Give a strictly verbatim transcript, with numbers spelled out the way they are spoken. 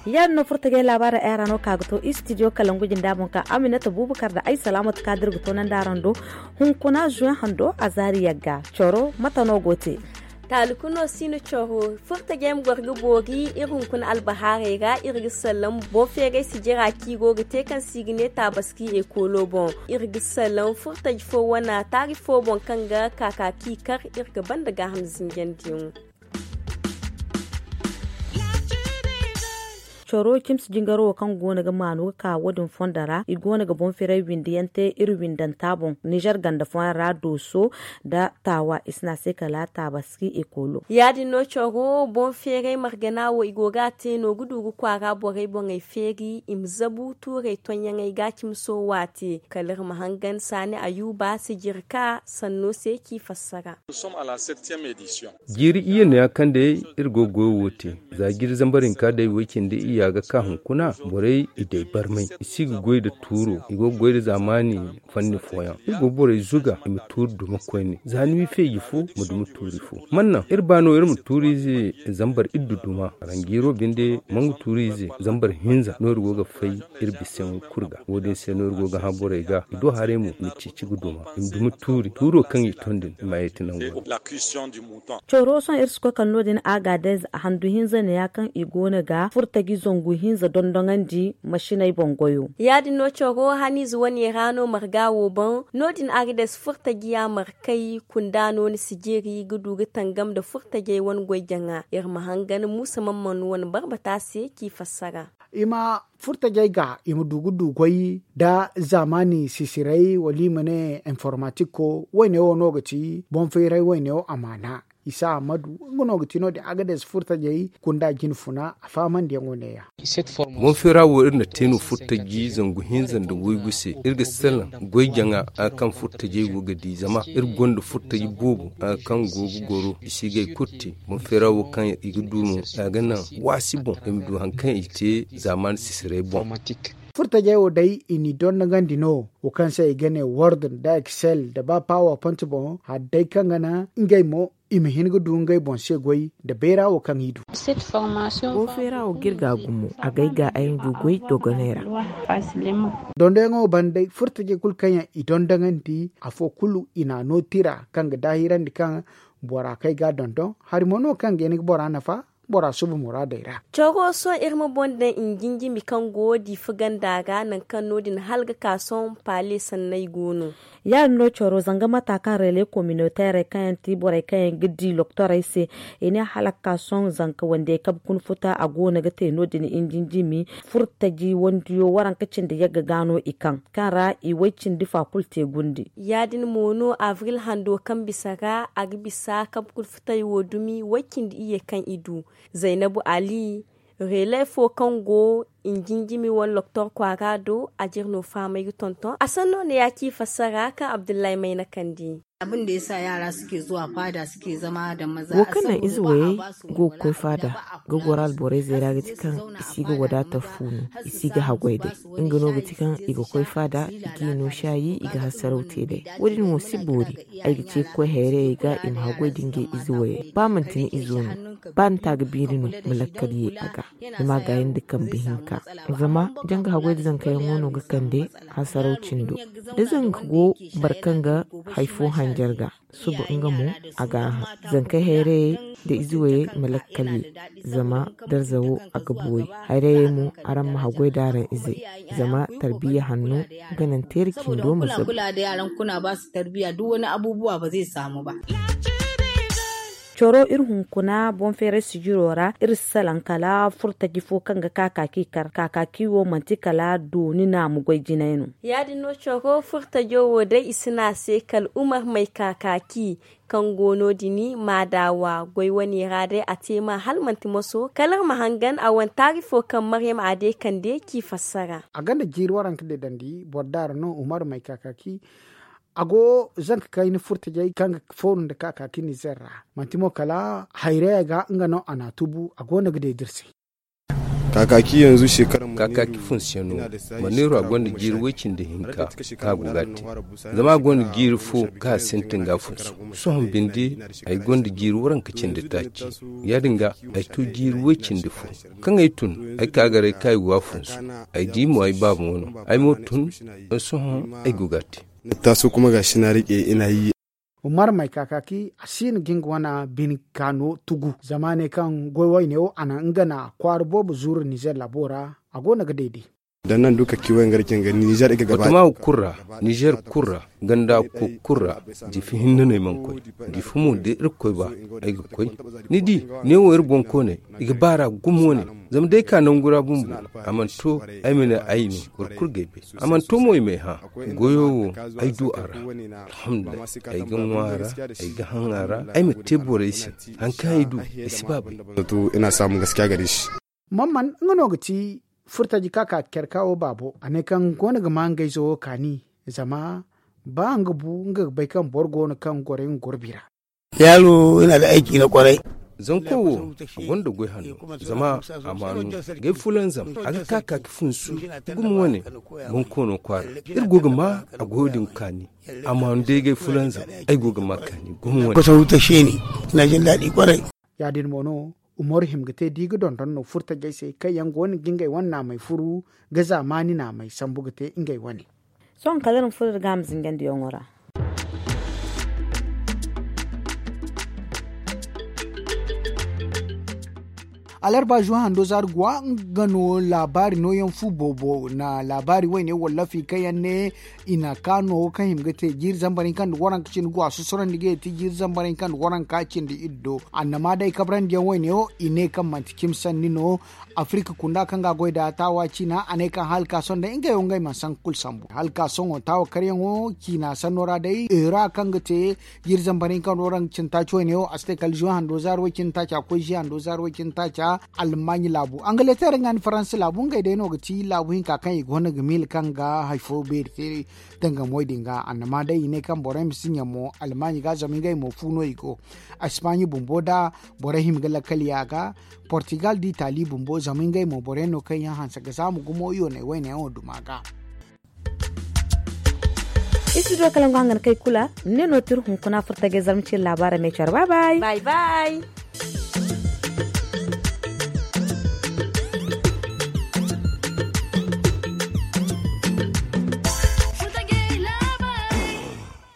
Yaadin no furtajey laabaarey ay ra no ka ga to istidiyo kalangu jinda boŋ ka aminata bubakar da ay salaamatu ka da iri ga to nandi araŋ do. Hunkuna zuwe hando a zaari yagga coro mate no go te? Taali kuno si no coro furtajey ma goro ga boori iri hunkuna albahaarey ra iri ga sallam boŋ feeray sijira kaŋ i go ga te kaŋ se i ga ne taabaski ekoolo boŋ. Iri ga sallam furtaji fo wane taari fo boŋ kaŋ ga kaakaaki kar iri ga banda gaaham zinjandiyaŋo. Coro cimsi jingaro wo kaŋ go no ga maanu ga ka wo- din fondo ra i go no ga boŋ firay windi yaŋ te iri windanta boŋ nizer ganda fooyaŋ ra dooso nda taawa i si ne a se kala taabaski ekoolo. Ya- din no coro boŋ feeray margana wo i go ga a te no ga du ga kwaara borey boŋey feeri i ma zabu tuurey tonyaŋey ga cimso waate kala iri ma hangan saani ayuuba sijirka sanno se k'i fassara. Jiiri iyye no ya kaŋ day iri go ga goyo wo te. Za jiiri zambar hinka day way cindi iyya ga ka hunkuna borey i day barmay i si ga goy nda tuuro i go ga goy nda zaamaani fanni fooyaŋ iri go ga borey zuga i ma tuuri duma koyne za ni wi feeji fo ma duma tuuri fo. Man naŋ iri ba no iri ma tuuri ize zambar iddu duma ranjiiro binde mangu tuuri ize zambar hinza no iri go ga fay iri bisayaŋo kulu ga wo- din se no iri go ga hã borey ga i do haray mo i ma ceeci ga duma i ma duma tuuri tuuro kaŋ i ton din i ma a yeeti nango. Coro sohõ iri si koy kala no- din agadez handu hinza neeya kaŋ i go no ga furtaji zangu hinza dondoŋandi masiney boŋ goyo. Ya- din no coro haniize wane ra no marga wo boŋ no- din agadez furtaji ya markay kunda no ni si jeeri ga du ga tangam nda furtajey wane goy jaŋa iri ma hangan muusa mamman wane barbata se k'i fassara. I ma furtajey ga i ma du ga du goy nda zaamaani sisiray wala i ma ne informatiko wayne wo no ga ti boŋ feeray wayne wo amaana isa ahmadu nga no ga ti no- din agades furtajey kunda jinfuna a fahamandiyaŋo neeya. Boŋ feera wo iri na te no furtaji zangu hinza nda waygu se iri ga salaŋ goy jaŋa a kaŋ furtajey go ga di zama iri gonda furtaji boobo a kaŋ go ga goro i si ga ay kulu te. Boŋ feera wo kaŋ i ga du mo a ga naŋ waasi boŋ i ma du hari kaŋ i te zaamaani sisiray boŋ. Furtajey wo day i n'i dondogandi no wo kaŋ se i ga ne word nda excel nda ba power point boŋ hari day kaŋ ga naŋ ngey mo i ma hin ga du ngey boŋ se goy nda bayra wo kaŋ i du. Wo feera wo ga iri ga gumo a ga ay ga ay ma du goy dogoney ra. Dondoyaŋo banda day furtajey kulu kaŋ yaŋ i dondogandi afo kulu i n'a no tira kaŋ ga daahirandi kaŋ bora kaŋ ay ga a dondon hari mo no kaŋ ga hin ga bora nafa bora suba muraadey ra. Coro sohõ iri ma boŋ daŋ i jinjimi kaŋ go diifa ganda ra nangu kaŋ no- din hala ga ka sohõ paale sanney go no. Ya- din no coro zanga mata kaŋ relais communautairey kaŋ yaŋ ti borey kaŋ yaŋ ga di loktorey se i ne hala ga ka sohõ zanka wandiyey kabe kuna futa a go no ga te no- din i jinjimi furtaji wandiyo waranka cindi yagga ga no i kaŋ kaŋ ra i way cindi fa kulu te gundi. Ya- din mo no avril hando kaŋ bisa ra a ga bisa kabe kulu futay wo dumi way cindi iyye kaŋ i du. Zaynabu ali relais fo kaŋ go i jinjimi wane loktor kwaara do a jire no fahamay ga tonton a sanno ne ya ci fassara kaŋ abdullahi mayna kandi. Wo kaŋ naŋ ize wayey go ga koy faada ga goro alborayzey ra ga ti kaŋ i si ga wadaata fu no i si ga haggoy day. Nga no ga ti kaŋ i ga koy faada i ga i no saayi i ga hasaraw te day. Wo- din wo si boori ay ga ce ga koy hayrayey ga i ma haggoy da ngey ize wayey ba manti ni izo no ba ni ta ga biiri no ma lakkal ye a ga ni ma a gaayi nda kambe hinka. Zama janga haggoy da zankayaŋo no ga kande hasaraw cindo da zanka go boro kaŋ ga hari fo hanjar ga suba nga mo a ga a hã. Zankey hayrayey nda ize wayey ma lakkal ye zama darza wo a ga boori. Hayrayey mo araŋ ma haggoy da araŋ izey zama tarbiya hanno ga naŋ teeri cindo ma zabu. Coro iri hunkuna boŋ feeray sijiro ra iri si salaŋ kala furtaji fo kaŋ ga kaakaaki kar kaakaaki wo manti kala dooni naamu goy jinay no. Ya- din no coro furtajo wo day i si ne a se kala umar may kaakaaki kaŋ go no- din maadawa goy wane ra day a te ma hala manti moso kala iri ma hangan a wane taari fo kaŋ maryam a day kande k'i fassara. A gonda jiiri waranka deedandi boro daara no umar may kaakaaki. A go zanka kayna furtajey kaŋ ga fooru nda kaakaaki nizer ra manti mo kala hayraya ga nga no a n'a tubu a go no ga deedi iri se. Kaakaaki yanzu shekara mu. Kaakaaki funsiyano, maneero a gonda jiiri way cindi hinka kaŋ a go ga a te. Zama a gonda jiiri fo kaŋ a sintin ga a funsu. Sohõ binde, ay gonda jiiri waranka cindi taaci. Ya-din ga, ay to jiiri way cindi fo. Kaŋ ay tun, ay ka garay kaŋ ay go a funsu. Ay di mo ay baaba wano. Ay mo tun, sohõ ay go ga a te. Taaso kuma ga si na rike ina yi. Umar may kaakaaki a si no ga nga wane bine kaano tugu zama ne kaŋ goy wayne wo a na nga na kwaara boobo zuuru nizer labo ra. A go no ga deede. Dan nan duka kiwo nga rike nga nizer i ga gaba. Watama wo kulu ra, nizer kulu ra, ganda ko kulu ra. Jifi hinne no ay mana koy. Jifi mo da irkoy ba, ay ga koy. Ni di, ne wo iri bonkooney, i ga baara gumo wane. Zama day ka nangu ra bumbo, a mana to ay ma ne ay no. Boro kulu ga ay bay. A mana to mo i ma ay hã. Goyo wo, ay du a ra. Alhamdulillahi, ay ga ŋwa a ra, ay ga haŋ a ra. Ay ma te borey se. Haŋ kaŋ ay du, ay si ba bay. Zato ina samu gaskiya gare shi. Mamman nga no ga ti furtaji ka ka care ka wo baabo. A ne kaŋ go no ga ma nga izo wo kaani. Zama ba nga bu nga ga bay kaŋ boro go no kaŋ goro nga goro bira. Yaalo ina da aiki na kwarai. Zanko wo, a gonda goy hanno. Zama a maanu gay fulanzam a ga ka ka ki funsu. Gumo wane, bonkoono kwaara. Iri go ga ma a goyo din kaani. A maanu day gay fulanzam, ay go ga ma kaani gumo wane. Kwasa wuta sheni. Ina jin daɗi kwarai. Ya-din mo no, umaru hima ga te da i ga dondon no furtajey se kaŋ yaŋ go no ga ngey wane naamey furu, ga zaamaani naamey sambu ga te ngey wane. Sohõ kala iri ma furo iri ga a ma zinjandiyaŋo ra. Alarba zuwa hando zaari guwa nga no laabaari nooyaŋ fu boobo na laabaari wayne wallafi kaŋ yaŋ ne i na kaano kaŋ hima ga te jiiri zambar hinka nda waranka cindi guwa susurandi ga ti jiiri zambar hinka nda waranka cindi iddo annama day kabrandiyaŋ wayne wo i ne kaŋ manti cimi sanni no. Afirka kunda kaŋ ga goy da taawa ciina a ne kaŋ halka sohõ day ngey wo ngey mana sanku kulu sambu halka sohõ taawa karyaŋo ciina sanno ra day eura kaŋ ga te jiiri zambar hinka nda waranka cindi taaci wayne wo a si te kala zuwa hando zaari way cindi taaca koy zuwa hando zaari way cindi taaca. Almaaɲi laabu angaleter nga nda faransa laabu ngey day no ga ti laabu hinka kaŋ i gonda ga miila kaŋ ga hari fo beeri te. Dangamoy din ga annama day i ne kaŋ borey ma si ɲa mo almaaɲi ga zama ngey mo fu no i go. Espaaɲi bumbo da borey hima ga lakkal ya ga portugal da itali bumbo zama ngey mo borey no kaŋ yaŋ hanse ga zaamu gumo yooney wayne yaŋo duma ga. Iri si du kala nga hangana kay kula ni ne no tiri hunkuna furta ga ay zarma ciri laabaara me care bye bye.